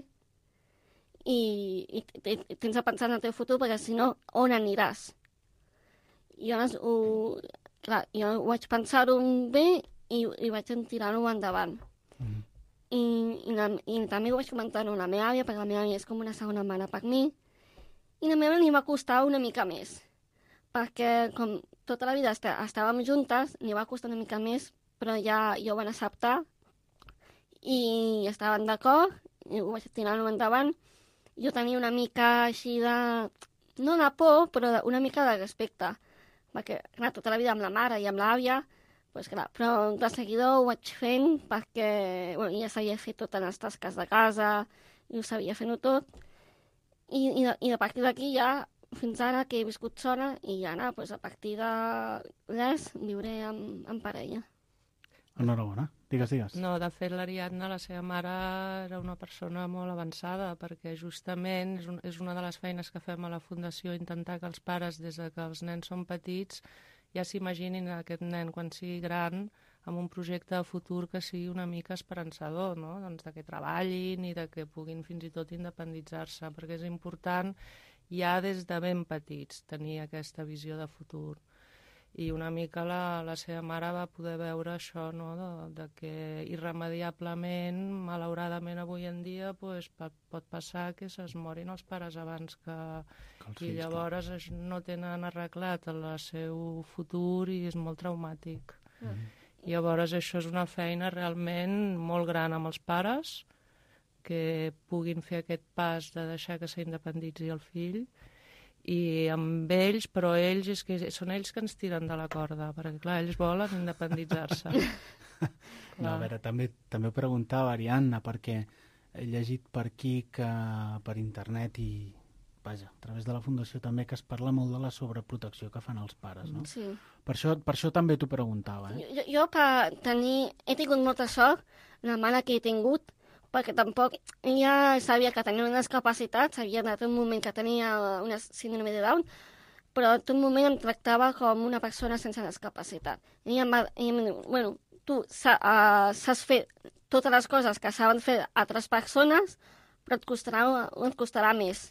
i, i, i tens de pensar en el teu futur, perquè si no, on aniràs? I llavors, ho, clar, jo ho vaig pensar-ho bé, i, i vaig tirar-ho endavant. Mm. I, i, la, I també ho vaig comentar-ho a la meva àvia, perquè la meva àvia és com una segona mare per mi, i la meva li va costar una mica més, perquè com tota la vida est estàvem juntes, li va costar una mica més, però ja, ja ho van acceptar, i estaven d'acord, i ho vaig tirar-ho endavant. Jo tenia una mica així de... no de por, però una mica de respecte, perquè, clar, tota la vida amb la mare i amb l'àvia, pues clar, però de seguida ho vaig fent perquè bueno, ja sabia fer totes les tasques de casa i ho sabia fent-ho tot. I, i, de, i a partir d'aquí ja, fins ara que he viscut sola, i ja anar, pues, a partir de res, viuré amb, amb parella. Enhorabona. Digues, digues. No, de fet, l'Ariadna, la seva mare, era una persona molt avançada, perquè justament és, un, és una de les feines que fem a la Fundació, intentar que els pares, des de que els nens són petits, ja s'imaginin aquest nen quan sigui gran amb un projecte de futur que sigui una mica esperançador, no? Doncs de que treballin i de que puguin fins i tot independitzar-se, perquè és important ja des de ben petits tenir aquesta visió de futur. I una mica la, la seva mare va poder veure això, no? de, de que irremediablement, malauradament avui en dia, pues, pot, pot passar que se'ls morin els pares abans que... que I llavors clar. No tenen arreglat el seu futur i és molt traumàtic. Mm. I llavors això és una feina realment molt gran amb els pares, que puguin fer aquest pas de deixar que s'independitzi el fill, i amb ells, però ells és que són ells que ens tiren de la corda, perquè clar, ells volen independitzar-se. No, a veure, també, també ho preguntava Ariadna, perquè he llegit per aquí que per internet i, vaja, a través de la Fundació també, que es parla molt de la sobreprotecció que fan els pares, no? Sí. Per això, per això també t'ho preguntava, eh? Jo, jo per tenir... He tingut molta sort, la mare que he tingut, perquè tampoc ella sabia que tenia unes capacitats, sabia de tot moment que tenia una síndrome de Down, però en tot moment em tractava com una persona sense discapacitat. Ella em va dir, bueno, tu saps fer totes les coses que saben fer altres persones, però et costarà, et costarà més.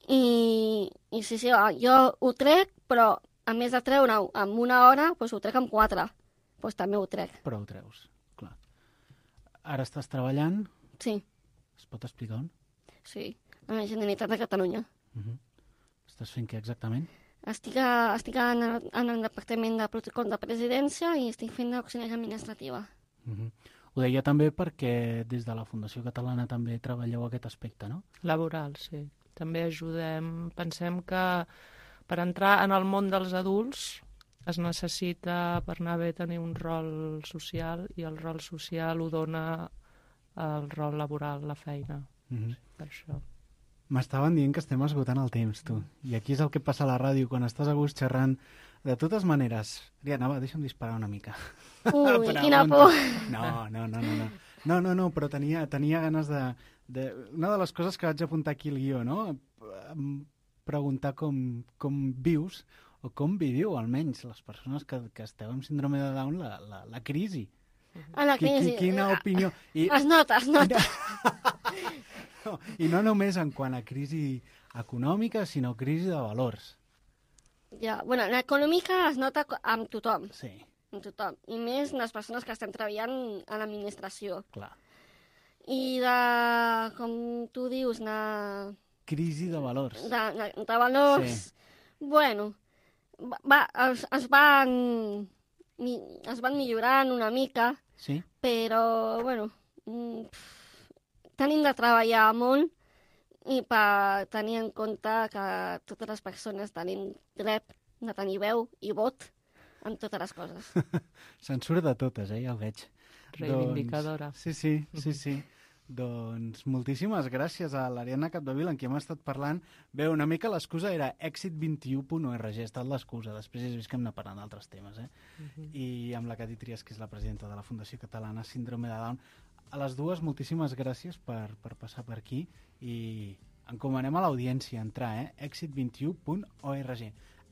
I, i sí, sí, jo ho trec, però a més de treure-ho en una hora, doncs ho trec en quatre. Doncs també ho trec. Però ho treus. Ara estàs treballant? Sí. Es pot explicar on? Sí, a la Generalitat de Catalunya. Uh-huh. Estàs fent què exactament? Estic, a, estic en, el, en el Departament de Protocol de Presidència i estic fent l'auxiliar administrativa. Uh-huh. Ho deia també perquè des de la Fundació Catalana també treballeu aquest aspecte, no? Laboral, sí. També ajudem. Pensem que per entrar en el món dels adults es necessita, per anar bé, tenir un rol social, i el rol social ho dona el rol laboral, la feina. Mm-hmm. Per això. M'estaven dient que estem esgotant el temps, tu. I aquí és el que passa a la ràdio, quan estàs a gust xerrant. De totes maneres... Ariadna, va, deixa'm disparar una mica. Ui, quina por! No, no, no, no, no. No, no, no, però tenia, tenia ganes de, de... Una de les coses que vaig apuntar aquí al guió, no? Preguntar com, com vius, o com viviu, almenys, les persones que, que esteu amb síndrome de Down, la, la, la crisi. A la crisi. Quina opinió... I... Es nota, es nota. No, i no només en quant a crisi econòmica, sinó crisi de valors. Ja, bueno, l'econòmica es nota amb tothom. Sí. Amb tothom. I més les persones que estan treballant a l'administració. Clar. I de, com tu dius, de... Crisi de valors. De, de, de valors... Sí. Bueno, va, es, es van... es van millorant una mica. Sí. Però, bueno... Pff, tenim de treballar molt i per tenir en compte que totes les persones tenim dret de tenir veu i vot en totes les coses. Se'n surt de totes, eh? Ja ho veig. Reivindicadora. Doncs, sí, sí, sí, sí. Doncs moltíssimes gràcies a l'Ariadna Capdevila, amb qui hem estat parlant. Bé, una mica l'excusa era èxit vint u punt org, ha estat l'excusa. Després has vist que hem anat parlant d'altres temes, eh? Uh-huh. I amb la Cati Trias, que és la presidenta de la Fundació Catalana Síndrome de Down. A les dues, moltíssimes gràcies per, per passar per aquí i encomanem a l'audiència entrar, eh? èxit vint u punt org.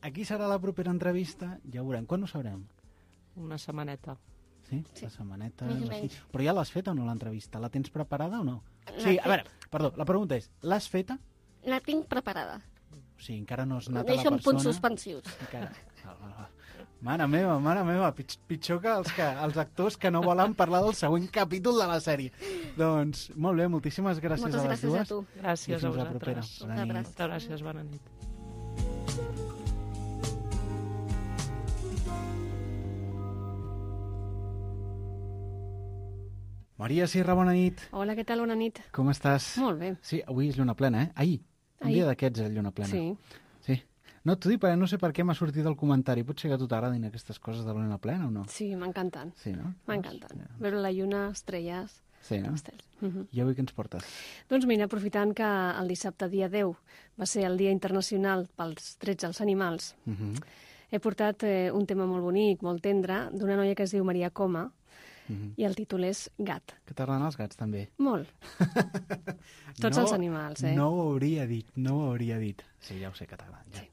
Aquí serà la propera entrevista, ja ho veurem. Quan ho sabrem? Una setmaneta. Sí? Sí. La setmaneta... Més o així. menys. Però ja l'has feta o no, l'entrevista? La tens preparada o no? La Sí, a fe- veure, perdó, la pregunta és, l'has feta? La tinc preparada. O sigui, encara no has anat Deixo a la en punts persona... suspensius. Encara... Val, val, val. Mare meva, mare meva, pitj pitjor que els, que els actors que no volen parlar del següent capítol de la sèrie. Doncs, molt bé, moltíssimes gràcies Moltes a les gràcies dues. a tu. Gràcies I fins a la propera. vosaltres. Bona nit. Moltes Moltes gràcies, bona nit. Maria Sierra, bona nit. Hola, què tal? Bona nit. Com estàs? Molt bé. Sí, avui és lluna plena, eh? Ahir. Un Ahir. dia d'aquests és lluna plena. Sí. Sí. No, t'ho dic perquè no sé per què m'ha sortit el comentari. Potser que a tu t'agradin aquestes coses de la lluna plena o no? Sí, m'encanten. Sí, no? M'encanten. Doncs, Veure la lluna, estrelles, sí, no? estels. Uh -huh. I avui què ens portes? Doncs mira, aprofitant que el dissabte, dia deu, va ser el Dia Internacional pels Drets als Animals, Uh -huh. he portat eh, un tema molt bonic, molt tendre, d'una noia que es diu Maria Coma, Uh -huh. i el títol és Gat. Que t'agraden els gats, també? Molt. Tots no, els animals, eh? No ho hauria dit, no ho hauria dit. Sí, ja ho sé que t'agraden, ja. Sí.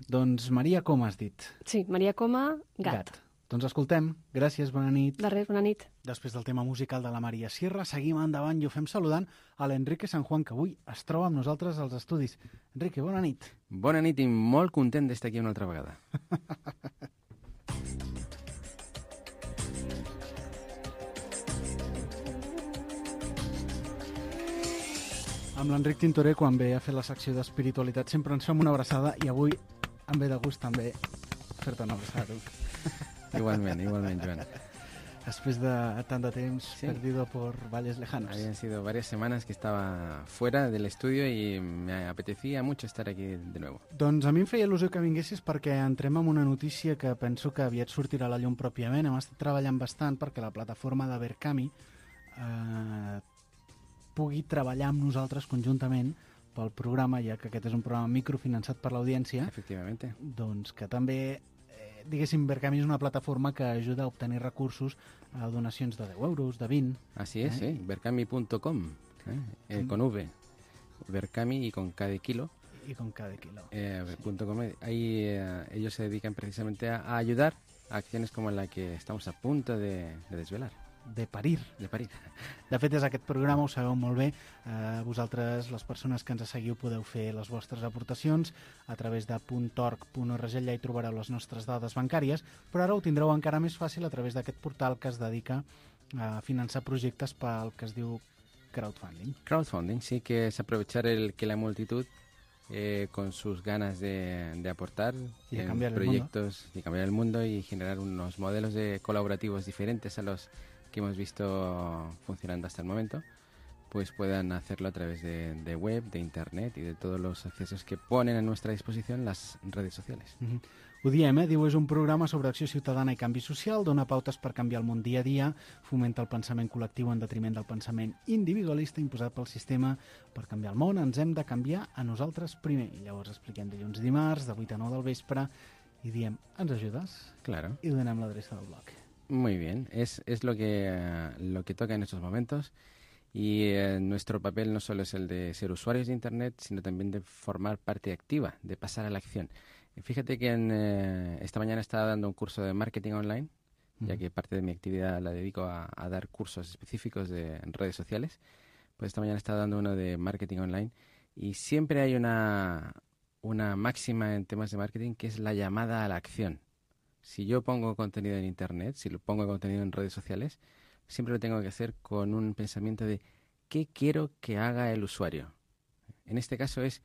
Doncs, Maria, com has dit? Sí, Maria Coma, Gat. Gat. Doncs escoltem. Gràcies, bona nit. De res, bona nit. Després del tema musical de la Maria Sierra, seguim endavant i ho fem saludant a l'Enrique San Juan, que avui es troba amb nosaltres als estudis. Enrique, bona nit. Bona nit i molt content d'estar aquí una altra vegada. Amb l'Enric Tintoré, quan ve a fer la secció d'espiritualitat, sempre ens fem una abraçada i avui em ve de gust també fer-te una abraçada. Igualment, igualment, Joan. Después de tanto tiempo Sí. perdido por valles lejanos. Habían sido varias semanas que estaba fuera del estudio y me apetecía mucho estar aquí de nuevo. Doncs a mi em feia il·lusió que vinguessis perquè entrem en una notícia que penso que aviat sortirà a la llum pròpiament. Hem estat treballant bastant perquè la plataforma de Verkami eh, pugui treballar amb nosaltres conjuntament pel programa, ja que aquest és un programa microfinançat per l'audiència. Efectivamente. Doncs que també, eh, diguéssim, Verkami és una plataforma que ajuda a obtenir recursos a donacions de deu euros, de vint. Así es, ¿Eh? ¿eh? Verkami punto com, ¿eh? Eh, con V. Verkami y con K de kilo. Y con cada kilo. Eh, punto com. Ahí eh, ellos se dedican precisamente a, a ayudar a acciones como la que estamos a punto de, de desvelar. De parir. De parir. De fet, és aquest programa, ho sabeu molt bé. Eh, vosaltres, les persones que ens seguiu, podeu fer les vostres aportacions a través de .org punt org, allà hi trobareu les nostres dades bancàries, però ara ho tindreu encara més fàcil a través d'aquest portal que es dedica a finançar projectes pel que es diu crowdfunding. Crowdfunding, sí, que es aprovechar el que la multitud, eh, con sus ganas de, de aportar Y de en cambiar el proyectos y cambiar el mundo y generar unos modelos de colaborativos diferentes a los que hemos visto funcionando hasta el momento, pues puedan hacerlo a través de, de web, de internet y de todos los accesos que ponen a nuestra disposición las redes sociales. Mm-hmm. Ho diem, eh? Diu, és un programa sobre acció ciutadana i canvi social, dona pautes per canviar el món dia a dia, fomenta el pensament col·lectiu en detriment del pensament individualista imposat pel sistema. Per canviar el món ens hem de canviar a nosaltres primer. I llavors expliquem dilluns i dimarts, de vuit a nou del vespre, i diem, ens ajudes? Claro. I donem l'adreça del blog. Muy bien, es, es lo que, uh, lo que toca en estos momentos. Y eh, nuestro papel no solo es el de ser usuarios de Internet, sino también de formar parte activa, de pasar a la acción. Fíjate que en, eh, esta mañana estaba dando un curso de marketing online, uh-huh. ya que parte de mi actividad la dedico a, a dar cursos específicos de en redes sociales. Pues esta mañana estaba dando uno de marketing online y siempre hay una, una máxima en temas de marketing que es la llamada a la acción. Si yo pongo contenido en Internet, si lo pongo contenido en redes sociales, siempre lo tengo que hacer con un pensamiento de ¿qué quiero que haga el usuario? En este caso es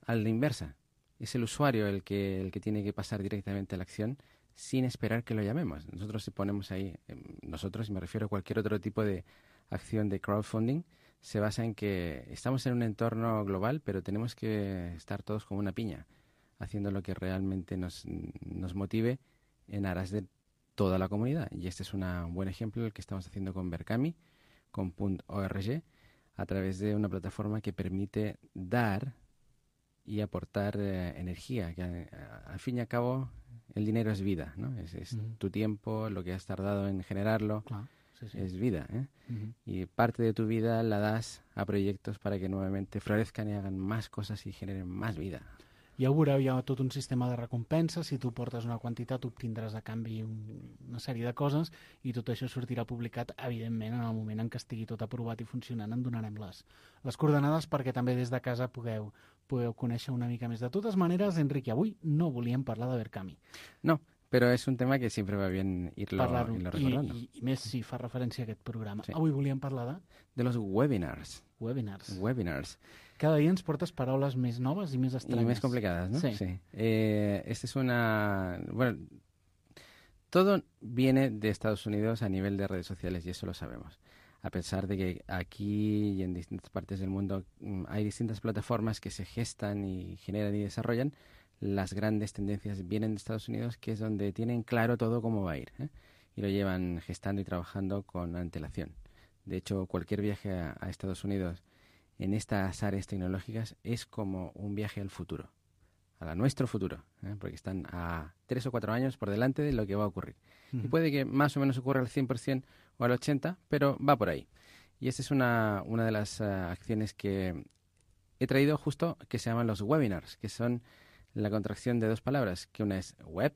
a la inversa. Es el usuario el que, el que tiene que pasar directamente a la acción sin esperar que lo llamemos. Nosotros si ponemos ahí, nosotros, y me refiero a cualquier otro tipo de acción de crowdfunding, se basa en que estamos en un entorno global, pero tenemos que estar todos como una piña, haciendo lo que realmente nos, nos motive en aras de toda la comunidad. Y este es una, un buen ejemplo el que estamos haciendo con Berkami, con .org, a través de una plataforma que permite dar y aportar eh, energía, que a, a, al fin y al cabo el dinero es vida, ¿no? Es, es uh-huh. tu tiempo, lo que has tardado en generarlo, claro, sí, sí. es vida, ¿eh? Uh-huh. Y parte de tu vida la das a proyectos para que nuevamente florezcan y hagan más cosas y generen más vida. Ja ho veureu, hi ha tot un sistema de recompensa. Si tu portes una quantitat, obtindràs a canvi un, una sèrie de coses i tot això sortirà publicat, evidentment, en el moment en què estigui tot aprovat i funcionant. En donarem les, les coordenades perquè també des de casa pugueu, pugueu conèixer una mica més. De totes maneres, Enrique, avui no volíem parlar de Berkami. No, però és un tema que sempre va bien irlo, irlo recordando. I, i, I més si fa referència a aquest programa. Sí. Avui volíem parlar de... De los webinars. Webinars. Webinars. Cada día nos portas palabras más nuevas y más extrañas. Y más complicadas, ¿no? Sí. sí. Eh, esta es una... Bueno, todo viene de Estados Unidos a nivel de redes sociales y eso lo sabemos. A pesar de que aquí y en distintas partes del mundo hay distintas plataformas que se gestan y generan y desarrollan, las grandes tendencias vienen de Estados Unidos, que es donde tienen claro todo cómo va a ir, ¿eh? Y lo llevan gestando y trabajando con antelación. De hecho, cualquier viaje a, a Estados Unidos en estas áreas tecnológicas es como un viaje al futuro, a nuestro futuro, ¿eh? Porque están a tres o cuatro años por delante de lo que va a ocurrir. Uh-huh. Y puede que más o menos ocurra al cien por ciento o al ochenta por ciento, pero va por ahí. Y esta es una, una de las uh, acciones que he traído justo, que se llaman los webinars, que son la contracción de dos palabras, que una es web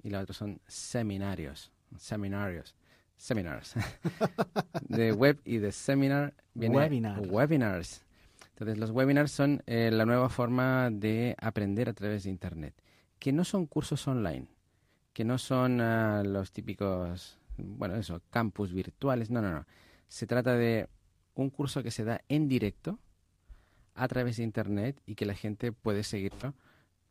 y la otra son seminarios, seminarios. Seminars. De web y de seminar viene Webinar. webinars. Entonces, los webinars son eh, la nueva forma de aprender a través de Internet, que no son cursos online, que no son uh, los típicos, bueno, eso, campus virtuales. No, no, no. Se trata de un curso que se da en directo a través de Internet y que la gente puede seguirlo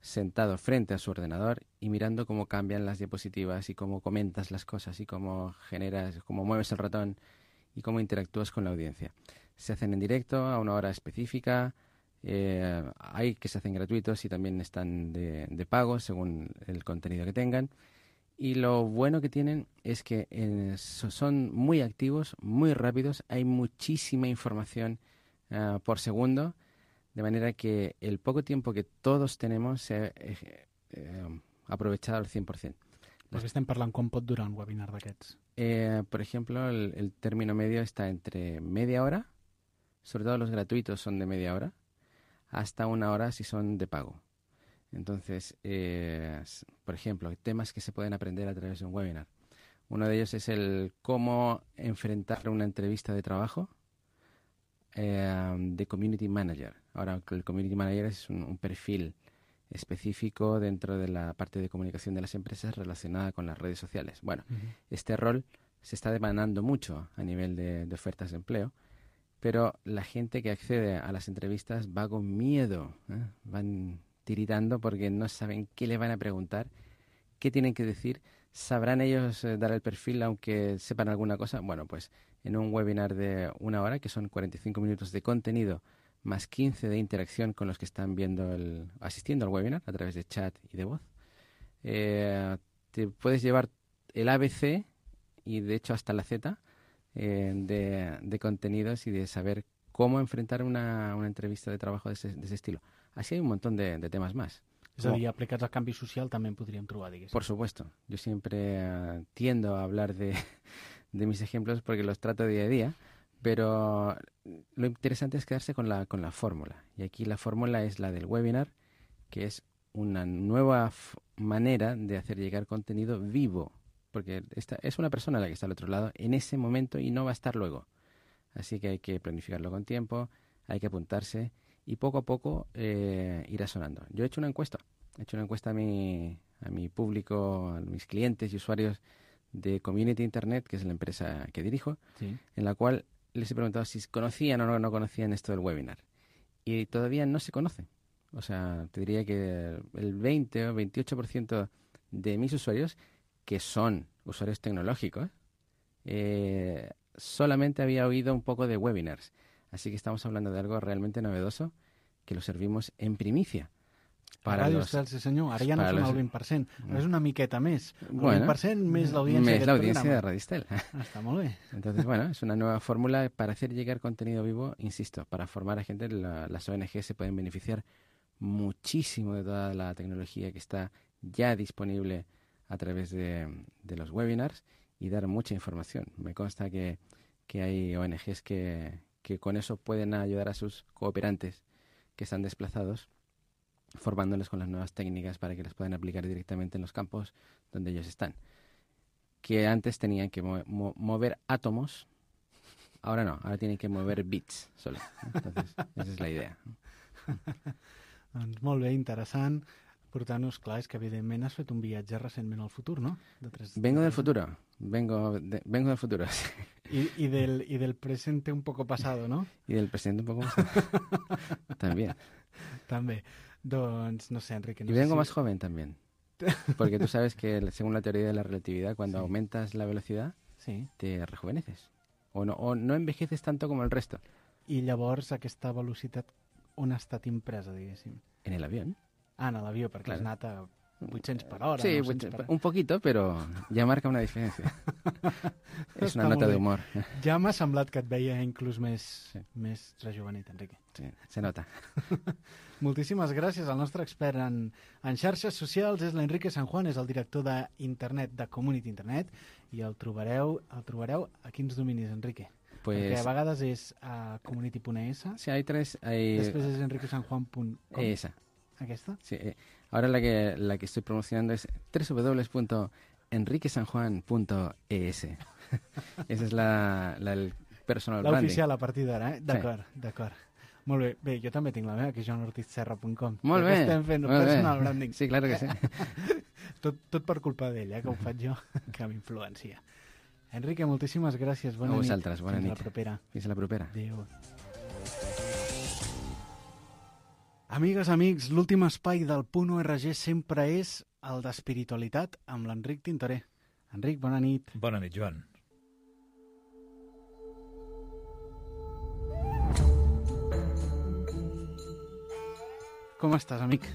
sentado frente a su ordenador y mirando cómo cambian las diapositivas y cómo comentas las cosas y cómo generas, cómo mueves el ratón y cómo interactúas con la audiencia. Se hacen en directo a una hora específica, eh, hay que se hacen gratuitos y también están de, de pago según el contenido que tengan. Y lo bueno que tienen es que eh, son muy activos, muy rápidos, hay muchísima información uh, por segundo, de manera que el poco tiempo que todos tenemos se ha eh, eh, aprovechado al cien por ciento. Perquè estem parlant com pot durar un webinar d'aquests. Eh, por ejemplo, el, el término medio está entre media hora, sobre todo los gratuitos son de media hora, hasta una hora si son de pago. Entonces, eh, por ejemplo, temas que se pueden aprender a través de un webinar. Uno de ellos es el cómo enfrentar una entrevista de trabajo eh, de Community Manager. Ahora, el Community Manager es un, un perfil específico dentro de la parte de comunicación de las empresas relacionada con las redes sociales. Bueno, uh-huh. Este rol se está demandando mucho a nivel de, de ofertas de empleo, pero la gente que accede a las entrevistas va con miedo, ¿eh? Van tiritando porque no saben qué le van a preguntar, qué tienen que decir, ¿Sabrán ellos eh, dar el perfil aunque sepan alguna cosa? Bueno, pues en un webinar de una hora, que son cuarenta y cinco minutos de contenido, más quince de interacción con los que están viendo el, asistiendo al webinar a través de chat y de voz, eh, te puedes llevar el A B C y de hecho hasta la Z eh, de, de contenidos y de saber cómo enfrentar una, una entrevista de trabajo de ese, de ese estilo. Así hay un montón de, de temas más. És a dir, aplicats al canvi social també en podríem trobar, diguéssim. Por supuesto. Yo siempre uh, tiendo a hablar de, de mis ejemplos porque los trato día a día, pero lo interesante es quedarse con la, con la fórmula. Y aquí la fórmula es la del webinar, que es una nueva f- manera de hacer llegar contenido vivo, porque esta es una persona la que está al otro lado en ese momento y no va a estar luego. Así que hay que planificarlo con tiempo, hay que apuntarse y poco a poco eh, irá sonando. Yo he hecho una encuesta, he hecho una encuesta a mi, a mi público, a mis clientes y usuarios de Community Internet, que es la empresa que dirijo, Sí. en la cual les he preguntado si conocían o no, no conocían esto del webinar. Y todavía no se conoce. O sea, te diría que el veinte o veintiocho por ciento de mis usuarios, que son usuarios tecnológicos, eh, solamente había oído un poco de webinars. Así que estamos hablando de algo realmente novedoso que lo servimos en primicia. Para Ràdio Estel, sí senyor. Ara ja no són los... el vint per cent. Ara és una miqueta més. El bueno, vint per cent més l'audiència més d'aquest l'audiencia programa. de Radio Estel. Ah, está muy bien. Entonces, bueno, es una nueva fórmula para hacer llegar contenido vivo, insisto, para formar a gente. La, las O N G se pueden beneficiar muchísimo de toda la tecnología que está ya disponible a través de, de los webinars y dar mucha información. Me consta que, que hay O N Ges que, que con eso pueden ayudar a sus cooperantes que están desplazados, formándoles con las nuevas técnicas para que las puedan aplicar directamente en los campos donde ellos están. Que antes tenían que mo- mo- mover átomos, ahora no, ahora tienen que mover bits solo. Entonces, esa es la idea. Doncs molt bé, interessant. Portant-nos, clar, és que evidentment has fet un viatge recentment al futur, no? De tres, Vengo de del futuro, vengo, de, vengo del futuro. Sí. Y, y, del, y del presente un poco pasado, ¿no? Y del presente un poco más. También. També. Doncs, no sé, Enrique. No y sé vengo si... más joven también. Porque tú sabes que según la teoría de la relatividad, cuando sí. aumentas la velocidad, sí. te rejuveneces. O no, o no envejeces tanto como el resto. I llavors aquesta velocitat on ha estat impresa, diguéssim? En el avión. Ah, en l'avió, perquè claro. Has anat a vuit-cents per hora. Sí, nou-cents per... un poquito, pero ya marca una diferencia. És una nota d'humor. Ja m'ha semblat que et veia inclús més, sí. més rejuvenit, Enrique. Sí, se nota. Moltíssimes gràcies al nostre expert en, en xarxes socials, és l'Enrique San Juan, és el director d'internet, de Community Internet, i el trobareu, el trobareu a quins dominis, Enrique? Pues... Perquè a vegades és a community punt e esse. Sí, hay tres. Hay... Després és enrique san juan punt com. Esa. ¿Aquesta? Sí. Ahora la que, la que estoy promocionando es doble u doble u doble u punto enrique san juan punto e ese. Esa es la, la el personal branding. L'oficial a partir d'ara, eh? D'acord, sí. d'acord. Molt bé. Bé, jo també tinc la meva, que és joan ortiz serra punt com. Molt bé. Estem fent molt personal bé. branding. Sí, claro que sí. tot, tot per culpa d'ell, eh, que ho faig jo, que m'influencia. Enrique, moltíssimes gràcies. Bona a nit. vosaltres, bona Fins nit. Fins la propera. Fins la propera. Adéu. Amigues, amics, l'últim espai del Punt O R G sempre és el d'espiritualitat amb l'Enric Tintoré. Enric, bona nit. Bona nit, Joan. Com estàs, amic?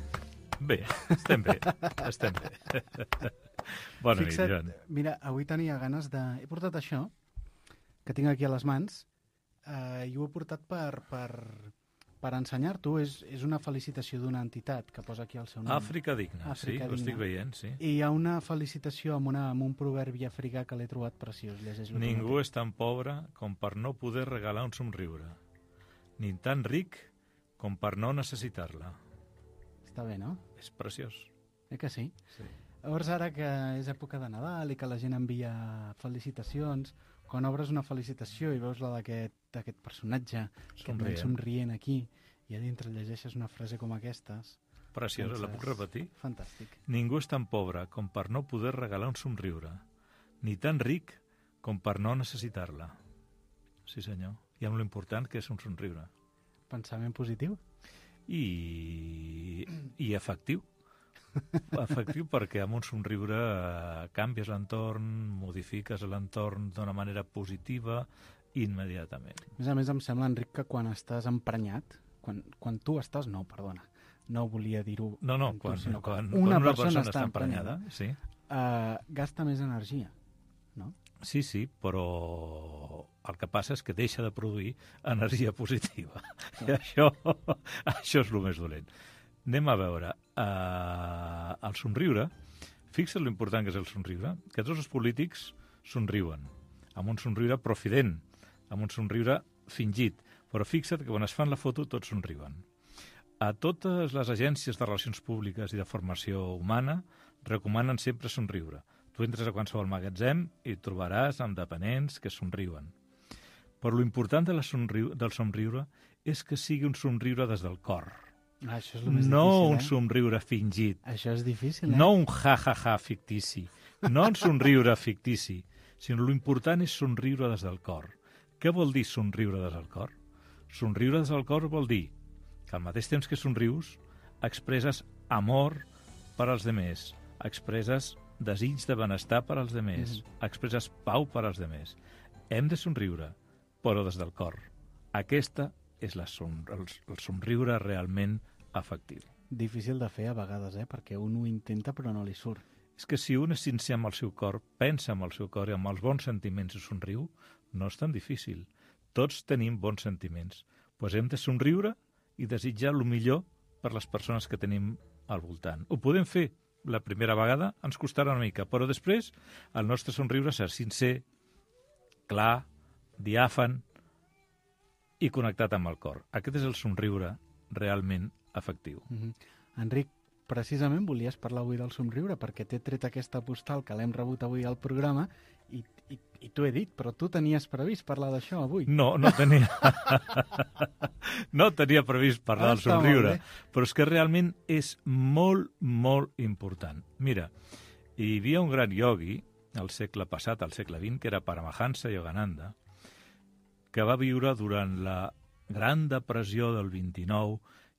Bé, estem bé, estem bé. Bona Fixa't, nit, Joan. Mira, avui tenia ganes de... He portat això, que tinc aquí a les mans, eh, i ho he portat per, per, per ensenyar-t'ho. És, és una felicitació d'una entitat que posa aquí el seu nom. Àfrica Digna, Àfrica sí, Digna. ho estic veient, sí. I hi ha una felicitació amb, una, amb un proverbi africà que l'he trobat preciós. Llegeix Ningú és tan pobre com per no poder regalar un somriure, ni tan ric com per no necessitar-la. Està bé, no? És preciós. Eh que sí? Sí. Llavors, ara que és època de Nadal i que la gent envia felicitacions, quan obres una felicitació i veus la d'aquest personatge somrient. que somrient aquí i a dintre llegeixes una frase com aquestes... Preciosa, doncs la puc repetir? Fantàstic. Ningú és tan pobre com per no poder regalar un somriure, ni tan ric com per no necessitar-la. Sí, senyor. I amb lo important que és un somriure. Pensament positiu? I, i efectiu, Efectiu perquè amb un somriure eh, canvies l'entorn, modifiques l'entorn d'una manera positiva immediatament. A més a més, em sembla, Enric, que quan estàs emprenyat, quan, quan tu estàs... No, perdona, no volia dir-ho... No, no, tu, quan, sinó quan, una, quan una persona, persona està està emprenyada, emprenyada, sí. Uh, gasta més energia, no? Sí, sí, però el que passa és que deixa de produir energia positiva. I això, això és el més dolent. Anem a veure. Uh, el somriure, fixa't l'important que és el somriure, que tots els polítics somriuen, amb un somriure profident, amb un somriure fingit, però fixa't que quan es fan la foto tots somriuen. A totes les agències de relacions públiques i de formació humana recomanen sempre somriure. Tu entres a qualsevol magatzem i trobaràs amb dependents que somriuen. Però l'important de la somriu del somriure és que sigui un somriure des del cor. Ah, això és el més no difícil, un eh? somriure fingit. Això és difícil, eh? No un ja-ja-ja fictici. No un somriure fictici, sinó l'important és somriure des del cor. Què vol dir somriure des del cor? Somriure des del cor vol dir que al mateix temps que somrius expresses amor per als demés, expresses desig de benestar per als demés, mm. expresses pau per als demés. Hem de somriure, però des del cor. Aquesta és la som el, el somriure realment afectiu. Difícil de fer a vegades, eh? Perquè un ho intenta però no li surt. És que si un és sincer amb el seu cor, pensa amb el seu cor i amb els bons sentiments i somriu, no és tan difícil. Tots tenim bons sentiments. Doncs hem de somriure i desitjar el millor per les persones que tenim al voltant. Ho podem fer. La primera vegada ens costarà una mica, però després el nostre somriure serà sincer, clar, diàfan i connectat amb el cor. Aquest és el somriure realment efectiu. Mm-hmm. Enric, precisament volies parlar avui del somriure perquè t'he tret aquesta postal que l'hem rebut avui al programa i, i, i t'ho he dit, però tu tenies previst parlar d'això avui. No, no tenia... no tenia previst parlar ah, del somriure, però és que realment és molt, molt important. Mira, hi havia un gran iogui al segle passat, al segle vint, que era Paramahansa Yogananda, que va viure durant la Gran Depressió del vint-i-nou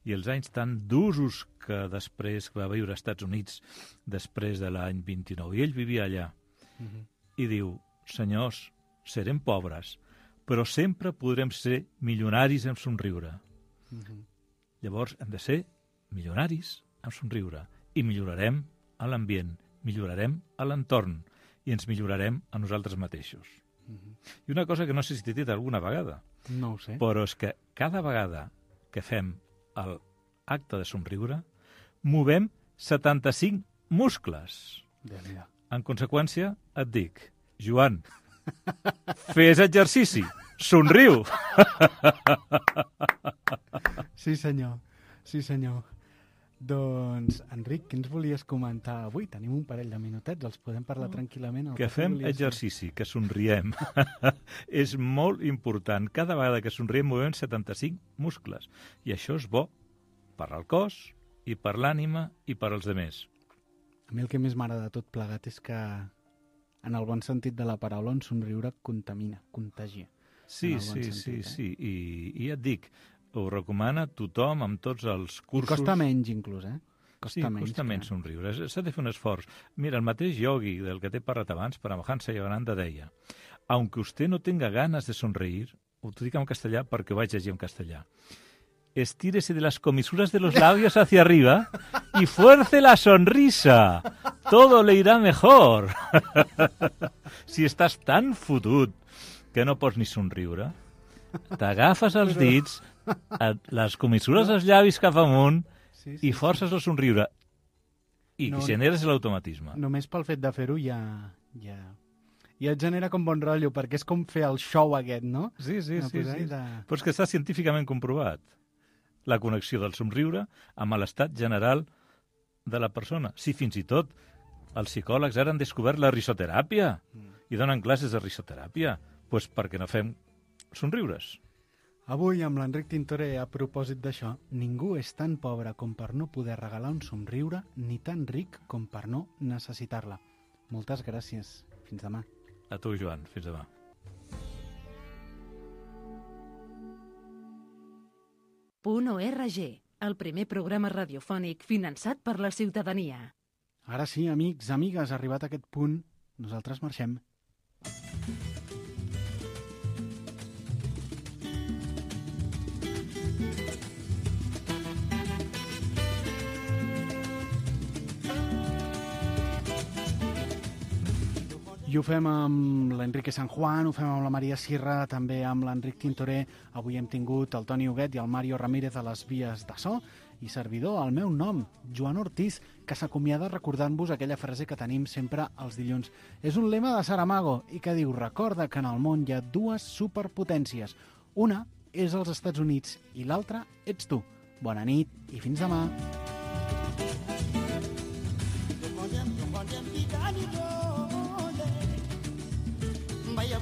i els anys tan d'usos que després va viure als Estats Units després de l'any vint-i-nou. I ell vivia allà. Uh-huh. I diu, senyors, serem pobres, però sempre podrem ser milionaris en somriure. Uh-huh. Llavors hem de ser milionaris en somriure i millorarem a l'ambient, millorarem a l'entorn i ens millorarem a nosaltres mateixos. Uh-huh. I una cosa que no sé si t'he dit alguna vegada, no ho sé, però és que cada vegada que fem l'acte de somriure movem setanta-cinc muscles. En conseqüència, et dic, Joan, fes exercici, somriu. Sí, senyor, sí, senyor. Doncs, Enric, què ens volies comentar avui? Tenim un parell de minutets, els podem parlar tranquil·lament. Que fem exercici, que somriem. És molt important. Cada vegada que somriem movem setanta-cinc muscles. I això és bo per al cos i per l'ànima i per als demés. A mi el que més m'agrada de tot plegat és que, en el bon sentit de la paraula, un somriure contamina, contagia. Sí, sí, bon sentit, sí, eh? sí. I, I ja et dic, ho recomana tothom amb tots els cursos. I costa menys, inclús, eh? Costa sí, menys costa que... menys somriure. S'ha de fer un esforç. Mira, el mateix yogi del que t'he parlat abans, Paramahansa Yogananda, deia, aunque usted no tenga ganas de sonreír, ho dic en castellà perquè ho vaig llegir en castellà, estírese de las comisuras de los labios hacia arriba y fuerce la sonrisa. Todo le irá mejor. Si estàs tan fotut que no pots ni somriure, t'agafes els dits, les comissures dels llavis cap amunt sí, sí, i forces el somriure. I no, generes l'automatisme. Només pel fet de fer-ho ja, ja, ja et genera com bon rotllo, perquè és com fer el show aquest, no? Sí, sí, no sí. sí. De... Però és que està científicament comprovat. La connexió del somriure amb l'estat general de la persona. Sí, fins i tot els psicòlegs ara han descobert la risoteràpia mm. i donen classes de risoteràpia. Doncs pues perquè no fem somriures. Avui, amb l'Enric Tintoré, a propòsit d'això, ningú és tan pobre com per no poder regalar un somriure, ni tan ric com per no necessitar-la. Moltes gràcies. Fins demà. A tu, Joan. Fins demà. Punt org. el primer programa radiofònic finançat per la ciutadania. Ara sí, amics, amigues, arribat a aquest punt, nosaltres marxem. I ho fem amb l'Enrique San Juan, ho fem amb la Maria Sierra, també amb l'Enric Tintoré. Avui hem tingut el Toni Huguet i el Mario Ramírez a les vies de so i servidor, el meu nom, Joan Ortiz, que s'acomiada recordant-vos aquella frase que tenim sempre els dilluns. És un lema de Saramago i que diu: recorda que en el món hi ha dues superpotències. Una és els Estats Units i l'altra ets tu. Bona nit i fins demà. Vaya